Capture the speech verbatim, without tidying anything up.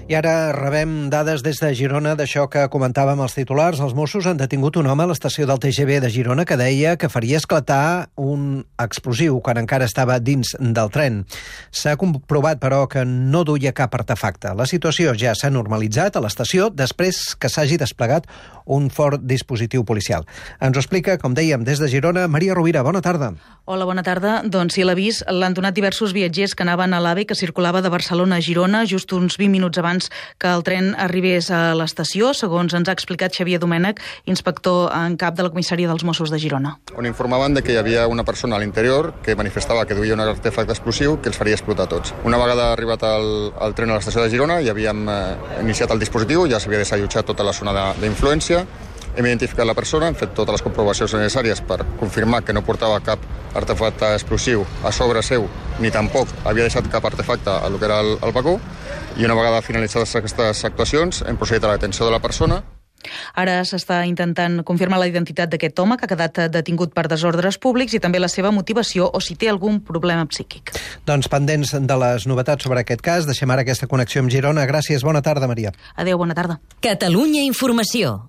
I ara rebem dades des de Girona d'això que comentàvem els titulars. Els Mossos han detingut un home a l'estació del T G V de Girona que deia que faria esclatar un explosiu quan encara estava dins del tren. S'ha comprovat, però, que no duia cap artefacte. La situació ja s'ha normalitzat a l'estació després que s'hagi desplegat un fort dispositiu policial. Ens ho explica, com dèiem, des de Girona, Maria Rovira. Bona tarda. Hola, bona tarda. Doncs sí, l'avís l'han donat diversos viatgers que anaven a l'AVE que circulava de Barcelona a Girona just uns vint minuts abans que el tren arribés a l'estació, segons ens ha explicat Xavier Domènech, inspector en cap de la comissaria dels Mossos de Girona. On informaven de que hi havia una persona a l'interior que manifestava que duia un artefacte explosiu que els faria explotar tots. Una vegada arribat el, el tren a l'estació de Girona ja havíem eh, iniciat el dispositiu, ja s'havia desallotjat tota la zona d'influència. Hem identificat la persona, hem fet totes les comprovacions necessàries per confirmar que no portava cap artefacte explosiu a sobre seu, ni tampoc havia deixat cap artefacte a lo que era el, el vagó, i una vegada finalitzades aquestes actuacions hem procedit a la detenció de la persona. Ara s'està intentant confirmar la identitat d'aquest home que ha quedat detingut per desordres públics i també la seva motivació o si té algun problema psíquic. Doncs pendents de les novetats sobre aquest cas, deixem ara aquesta connexió amb Girona. Gràcies, bona tarda, Maria. Adéu, bona tarda. Catalunya Informació.